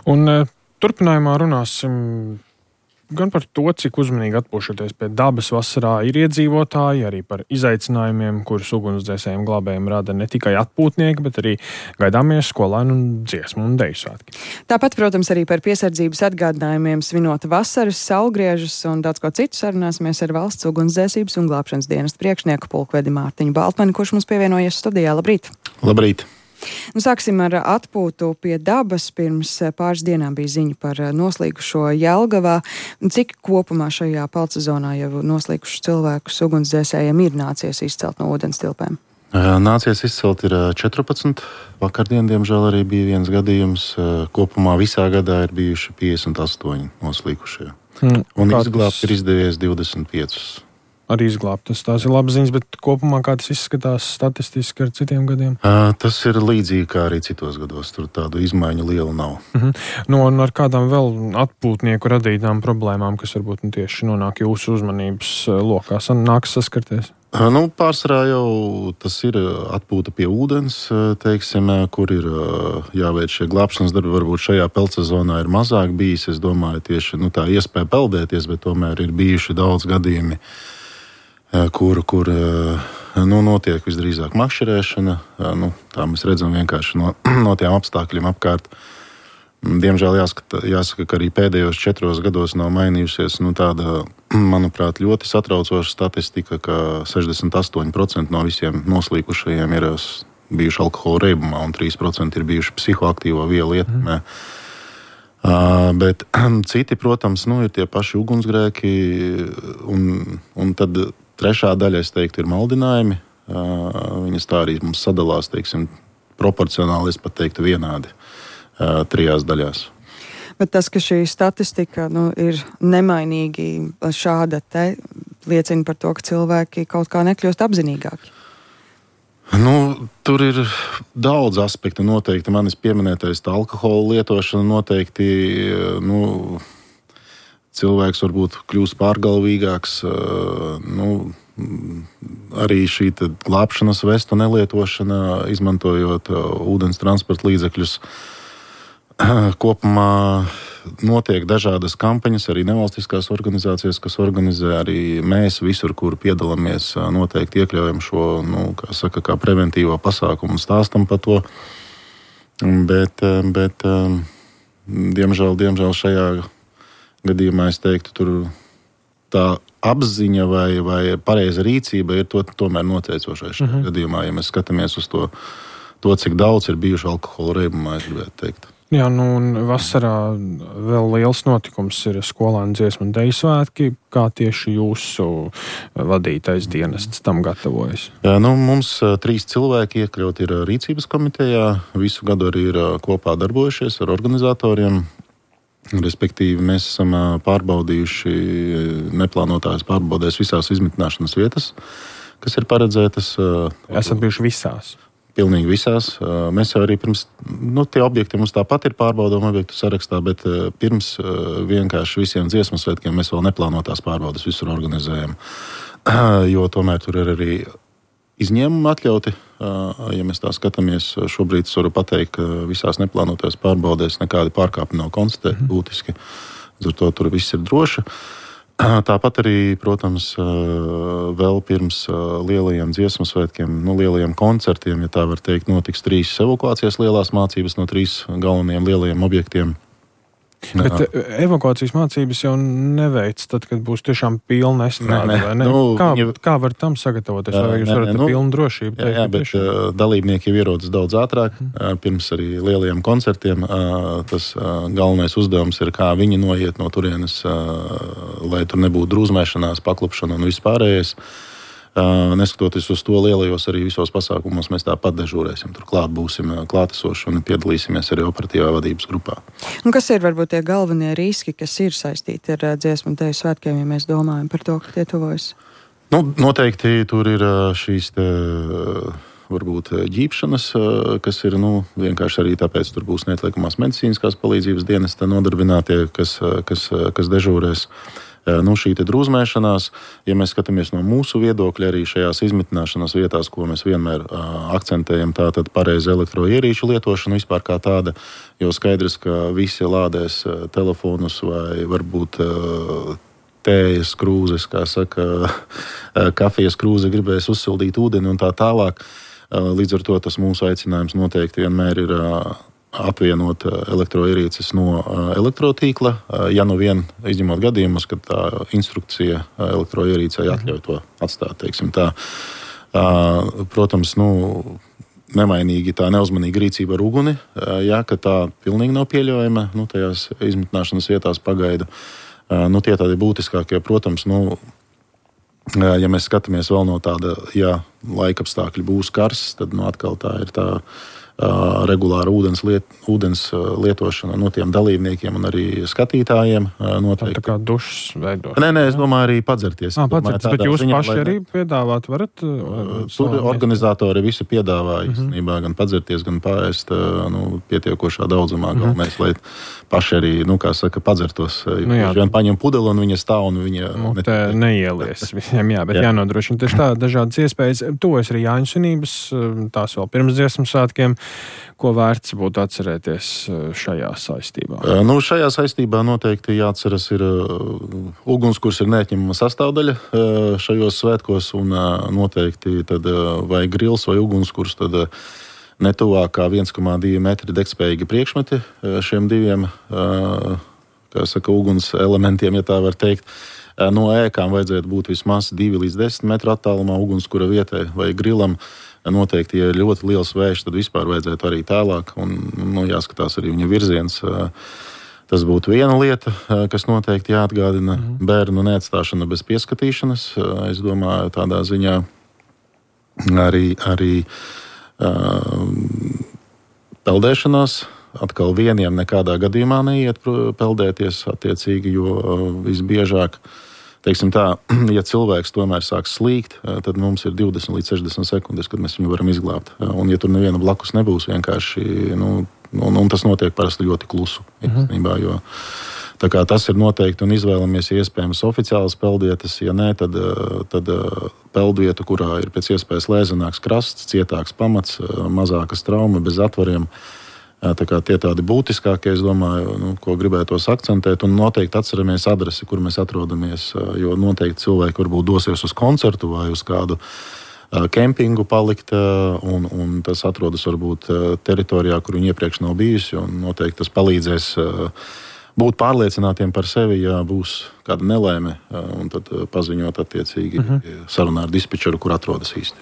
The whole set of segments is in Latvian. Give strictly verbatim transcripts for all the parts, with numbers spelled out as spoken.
Un turpinājumā runāsim gan par to, cik uzmanīgi atpūšoties pie dabas vasarā ir iedzīvotāji, arī par izaicinājumiem, kurus ugunsdzēsējiem glābējiem rada ne tikai atpūtnieki, bet arī gaidāmie skolēnu un dziesmu un deju svētki. Tāpat, protams, arī par piesardzības atgādinājumiem svinot vasaras, saulgriežus un daudz ko citu sarunāsimies ar valsts ugunsdzēsības un glābšanas dienesta priekšnieku pulkvedi Mārtiņu Baltmani, kurš mums pievienojies studijā. Labrīt! Labrīt! Nu, sāksim ar atpūtu pie dabas. Pirms pāris dienām bija ziņa par noslīkušo Jelgavā. Cik kopumā šajā peldsezonā jau noslīkušus cilvēkus ugunsdzēsējiem ir nācies izcelt no ūdens tilpēm? Nācies izcelt ir četrpadsmit. Vakardien, diemžēl, arī bija viens gadījums. Kopumā visā gadā ir bijuši piecdesmit astoņi noslīkušie. Mm, Un izglābt tas... ir izdevies divdesmit pieci. Arī izglābtas. Tās ir labas ziņas, bet kopumā kā tas izskatās statistiski ar citiem gadiem? Uh, tas ir līdzīgi kā arī citos gados. Tur tādu izmaiņu lielu nav. Uh-huh. No, un ar kādām vēl atpūtnieku radītām problēmām, kas varbūt nu, tieši nonāk jūsu uzmanības lokā, nāks saskarties? Uh, nu, pārsvarā jau tas ir atpūta pie ūdens, teiksim, kur ir jāveic šie glābšanas darbi. Varbūt šajā peldsezonā ir mazāk bijis. Es domāju, tieši nu, tā iespēja peldēties, bet tomēr ir bijuši daudz gadījumi, kur, kur nu, notiek visdrīzāk makšķerēšana. Nu, tā mēs redzam vienkārši no, no tiem apstākļiem apkārt. Diemžēl jāsaka, jāsaka, ka arī pēdējos četros gados nav mainījusies nu, tāda, manuprāt, ļoti satraucoša statistika, ka sešdesmit astoņi procenti no visiem noslīkušajiem ir bijuši alkohola reibumā un trīs procenti ir bijuši psihoaktīvo vielu ietekmē. Mm. Uh, bet citi, protams, nu, ir tie paši ugunsgrēki un, un tad trešā daļa, es teiktu, ir maldinājumi. Uh, viņas tā arī mums sadalās, teiksim, proporcionāli, es pat teiktu, vienādi uh, trijās daļās. Bet tas, ka šī statistika nu, ir nemainīgi šāda te, liecina par to, ka cilvēki kaut kā nekļūst apzinīgāki. Nu, tur ir daudz aspektu noteikti. Manis pieminētais tā alkohola lietošana noteikti, nu, cilvēks varbūt kļūst pārgalvīgāks. Nu, arī šī glābšanas vestu nelietošana, izmantojot ūdens transporta līdzekļus. Kopumā notiek dažādas kampaņas, arī nevalstiskās organizācijas, kas organizē, arī mēs visur, kur piedalāmies, noteikti iekļaujam šo, nu, kā saka, kā preventīvo pasākumu un stāstam par to. Bet, bet diemžēl, diemžēl šajā gadījumā es teiktu, tur tā apziņa vai, vai pareiza rīcība ir to, tomēr noteicošais šajā uh-huh. gadījumā. Ja mēs skatāmies uz to, to, cik daudz ir bijuši alkohola reibumā, es gribētu teikt. Jā, nu un vasarā vēl liels notikums ir skolēnu dziesmu un deju svētki. Kā tieši jūsu vadītais dienests tam gatavojas? Jā, nu, mums trīs cilvēki iekļaut ir rīcības komitejā. Visu gadu arī ir kopā darbojušies ar organizatoriem. Respektīvi, mēs esam pārbaudījuši neplānotās pārbaudēs visās izmitināšanas vietas, kas ir paredzētas. Esat bijuši visās? Pilnīgi visās. Mēs jau arī pirms, nu, tie objekti mums tāpat ir pārbaudāmu objektu sarakstā, bet pirms vienkārši visiem dziesmu svētkiem mēs vēl neplānotās pārbaudes visur organizējam. Jo tomēr tur ir arī izņēmumi atļauti. Ja mēs tā skatāmies, šobrīd es varu pateikt, ka visās neplānotās pārbaudēs nekādi pārkāpumi nav konstatēti būtiski. Ar to tur viss ir droši. Tāpat arī, protams, vēl pirms lielajiem dziesmu svētkiem, nu, lielajiem koncertiem, ja tā var teikt, notiks trīs evakuācijas lielās mācības no trīs galvenajiem lielajiem objektiem. Bet evakuācijas mācības jau neveic tad, kad būs tiešām pilna estrāde, vai ne? Nu, kā, ja, kā var tam sagatavoties? Vai jūs varat nu, pilnu drošību teikt? Jā, jā, bet tiešām? Dalībnieki jau ierodas daudz ātrāk. Hmm. Pirms arī lielajiem koncertiem tas galvenais uzdevums ir, kā viņi noiet no turienes, lai tur nebūtu drūzmēšanās, paklupšana un vispārējais. Neskatoties uz to, lielajos arī visos pasākumos mēs tāpat dežūrēsim. Turklāt būsim klātesoši un piedalīsimies arī operatīvā vadības grupā. Un kas ir varbūt tie galvenie riski, kas ir saistīti ar dziesmu un deju svētkiem, ja mēs domājam par to, ka tie tuvojas? Nu, noteikti tur ir šīs te, varbūt ģīpšanas, kas ir nu, vienkārši arī tāpēc tur būs neatliekamās medicīniskās palīdzības dienesta nodarbinātie, kas, kas, kas dežūrēs. Nu, šī drūzmēšanās, ja mēs skatāmies no mūsu viedokļa, arī šajās izmitināšanas vietās, ko mēs vienmēr uh, akcentējam, tā tad pareiza elektroierīču lietošana vispār kā tāda, jo skaidrs, ka visi lādēs uh, telefonus vai varbūt uh, tējas krūzes, kā saka, uh, kafijas krūze gribēs uzsildīt ūdeni un tā tālāk. Uh, līdz ar to tas mūsu aicinājums noteikti vienmēr ir uh, apvienot elektroierīces no elektrotīkla, ja nu vien izņemot gadījumus, kad tā instrukcija elektroierīcei atļauj to atstāt, teiksim tā. Protams, nu, nemainīgi tā neuzmanīga rīcība ar uguni, ja, ka tā pilnīgi nav pieļaujama, nu, tajās izmitināšanas vietās pagaidu. Nu, tie tādi būtiskākie, protams, nu, ja mēs skatāmies vēl no tāda, ja laikapstākļi būs karsts, tad, nu, atkal tā ir tā Uh, regulāra ūdens, liet, ūdens uh, lietošana no tiem dalībniekiem un arī skatītājiem. Uh, noteikti. Tā kā dušas veidošana. Nē, nē, es domāju arī padzerties. Ah, padzerties, bet jūs ziņā, paši arī piedāvāt, varat? Uh, tur organizatori visi piedāvā mm-hmm. īstenībā gan padzerties, gan pārēst uh, nu, pietiekošā daudzumā. Mm-hmm. Galvenais, lai paši arī, nu, kā saka, padzertos. Nu, jā. Vien paņem pudeli un viņa stāv un viņa... Nu, te neielies viņiem, jā, bet jā. Jānodrošina tieši tā dažādas iespējas. Tuvojas arī Jāņu svinības, tās vēl pirms dziesmu svētkiem. Ko vērts būtu atcerēties šajā saistībā? Nu, šajā saistībā noteikti jāatceras ir uh, ugunskurs ir neatņemama sastāvdaļa uh, šajos svētkos, un uh, noteikti tad, uh, vai grils vai ugunskurs, tad uh, netuvāk kā viens komā divi metri degspējīgi priekšmeti uh, šiem diviem, uh, kā saka, uguns elementiem, ja tā var teikt. Uh, no ēkām vajadzētu būt vismaz divi līdz desmit metru attālumā ugunskura vietai vai grilam. Noteikti, ja ir ļoti liels vējš, tad vispār vajadzētu arī tālāk, un nu, jāskatās arī viņa virziens. Tas būtu viena lieta, kas noteikti jāatgādina. Mm. Bērnu neatstāšana bez pieskatīšanas. Es domāju, tādā ziņā arī, arī uh, peldēšanās. Atkal vieniem nekādā gadījumā neiet peldēties attiecīgi, jo uh, visbiežāk teiksim tā, ja cilvēks tomēr sāk slīgt, tad mums ir divdesmit līdz sešdesmit sekundes, kad mēs viņu varam izglābt. Un ja tur neviena blakus nebūs, vienkārši, nu, un, un tas notiek parasti ļoti klusu, īstenībā, jo tā kā tas ir noteikti un izvēlamies iespējams oficiālas peldvietas, ja nē, tad, tad peldvieta, kurā ir pēc iespējas lēzenāks krasts, cietāks pamats, mazākas trauma, bez atvariem. Tā kā tie tādi būtiskākie, es domāju, nu, ko gribētos akcentēt, un noteikti atceramies adresi, kur mēs atrodamies, jo noteikti cilvēki varbūt dosies uz koncertu vai uz kādu kempingu palikt, un, un tas atrodas varbūt teritorijā, kur viņi iepriekš nav bijusi, un noteikti tas palīdzēs būt pārliecinātiem par sevi, ja būs kāda nelaime, un tad paziņot attiecīgi uh-huh. sarunā ar dispečeru, kur atrodas īsti.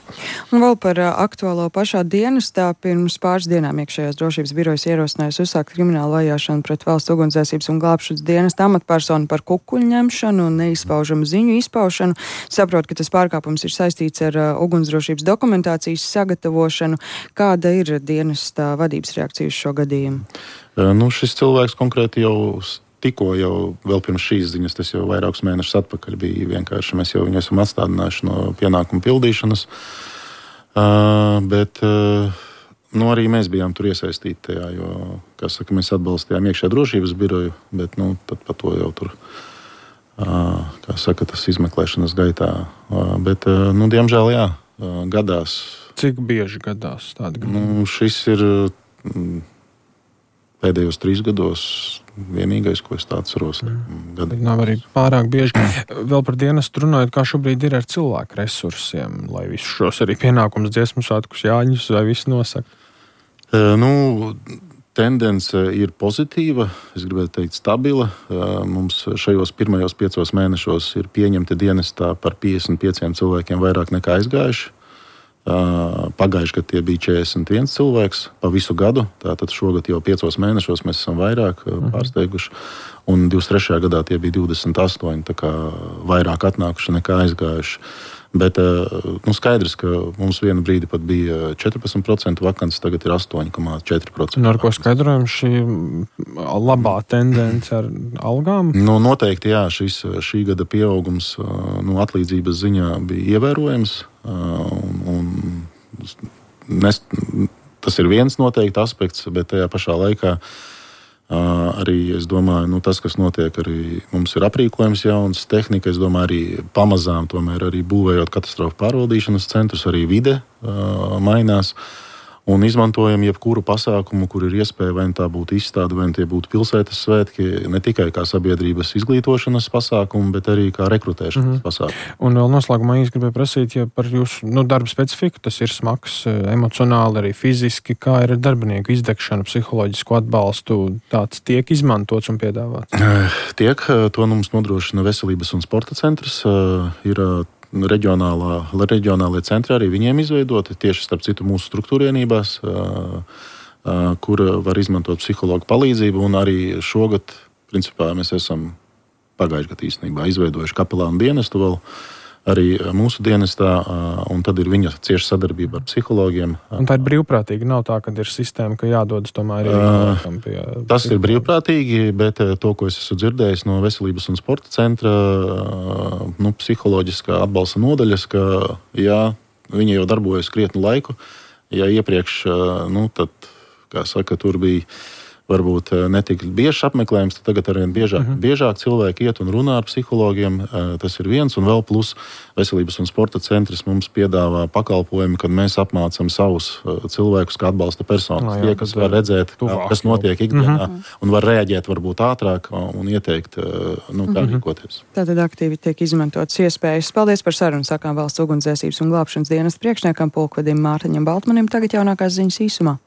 Un vēl par aktuālo pašā dienestā. Pirms pāris dienām iekšējās drošības birojas ierosinājusi uzsākt kriminālu vajāšanu pret valsts ugunsdzēsības un glābšanas dienesta amatpersonu par kukuļu ņemšanu un neizpaužamu ziņu izpaušanu. Saprot, ka tas pārkāpums ir saistīts ar ugunsdrošības dokumentācijas sagatavošanu. Kāda ir dienesta vadības reakcija uz šo gadījumu? Nu, šis cilvēks konkrēti jau tikko, jau vēl pirms šīs ziņas, tas jau vairākus mēnešus atpakaļ bija vienkārši. Mēs jau viņu esam atstādinājuši no pienākumu pildīšanas, uh, bet uh, nu, arī mēs bijām tur iesaistīti tajā, jo, kā saka, mēs atbalstījām iekšējā drošības biroju, bet nu, tad par to jau tur, uh, kā saka, tas izmeklēšanas gaitā. Uh, bet, uh, nu, diemžēl, jā, uh, gadās. Cik bieži gadās tādi gadījumi? Nu, šis ir... Uh, Pēdējos trīs gados vienīgais, ko es tā atceros. Mm. Nav arī pārāk bieži. Vēl par dienestu runājot, kā šobrīd ir ar cilvēku resursiem, lai visus šos arī pienākums dziesmu svētkus Jāņus vai visu nosakt? E, nu, tendence ir pozitīva, es gribētu teikt stabila. E, mums šajos pirmajos piecos mēnešos ir pieņemti dienestā par piecdesmit pieciem cilvēkiem vairāk nekā aizgājuši. Pagājuši, kad tie bija četrdesmit viens cilvēks pa visu gadu, tātad šogad jau piecos mēnešos mēs esam vairāk pārsteiguši, un divdesmit trešajā gadā tie bija divdesmit astoņi, tā kā vairāk atnākuši nekā aizgājuši. Bet nu, skaidrs, ka mums vienu brīdi pat bija četrpadsmit procenti vakants, tagad ir astoņi komā četri procenti. Un ar ko skaidrojam šī labā tendence ar algām? Nu, noteikti, jā, šis, šī gada pieaugums nu, atlīdzības ziņā bija ievērojams. Un, un nes, tas ir viens noteikti aspekts, bet tajā pašā laikā Arī es domāju, nu, tas, kas notiek, arī mums ir aprīkojums jauns, tehnika. Es domāju, arī pamazām, tomēr arī būvējot katastrofu pārvaldīšanas centrus, arī vide uh, mainās. Un izmantojam jebkuru pasākumu, kur ir iespēja, vai tā būtu izstāde, vai tie būtu pilsētas svētki, ne tikai kā sabiedrības izglītošanas pasākumu, bet arī kā rekrutēšanas mm-hmm. pasākumu. Un vēl noslēgumā es gribēju prasīt, ja par jūsu nu, darba specifiku, tas ir smags emocionāli, arī fiziski, kā ir ar darbinieku izdegšanu, psiholoģisku atbalstu, tāds tiek izmantots un piedāvāts? Tiek, to mums nodrošina Veselības un sporta centrs, ir Reģionālā, reģionālie centri arī viņiem izveidoti, tieši starp citu mūsu struktūrienībās, kur var izmantot psihologu palīdzību. Un arī šogad, principā, mēs esam pagājušajā gadā īstenībā izveidojuši kapelānu dienestu vēl arī mūsu dienestā, un tad ir viņa cieša sadarbība ar psihologiem. Un tā ir brīvprātīgi, nav tā, ka ir sistēma, ka jādodas tomēr arī pie Tas ir brīvprātīgi, bet to, ko es esmu dzirdējis no Veselības un sporta centra, nu, psiholoģiskā atbalsta nodaļas, ka jā, viņi jau darbojas krietnu laiku. Ja iepriekš, nu, tad, kā saka, tur bija varbūt netik biežs apmeklējums, tad tagad arvien biežāk, uh-huh. biežāk cilvēki iet un runā ar psihologiem. Tas ir viens, un vēl plus Veselības un sporta centrs mums piedāvā pakalpojumu, kad mēs apmācam savus cilvēkus, kā atbalsta personas. No, jā, tie, kas var redzēt, tuvāk, kas notiek ikdienā, uh-huh. un var reaģēt varbūt ātrāk un ieteikt, nu, kā uh-huh. rīkoties. Tātad aktīvi tiek izmantotas iespējas. Paldies par sarunu, sakām Valsts ugunsdzēsības un glābšanas dienesta priekšniekam pulkvedim Mārtiņam Baltmanim. Tagad jaunākās ziņas īsumā.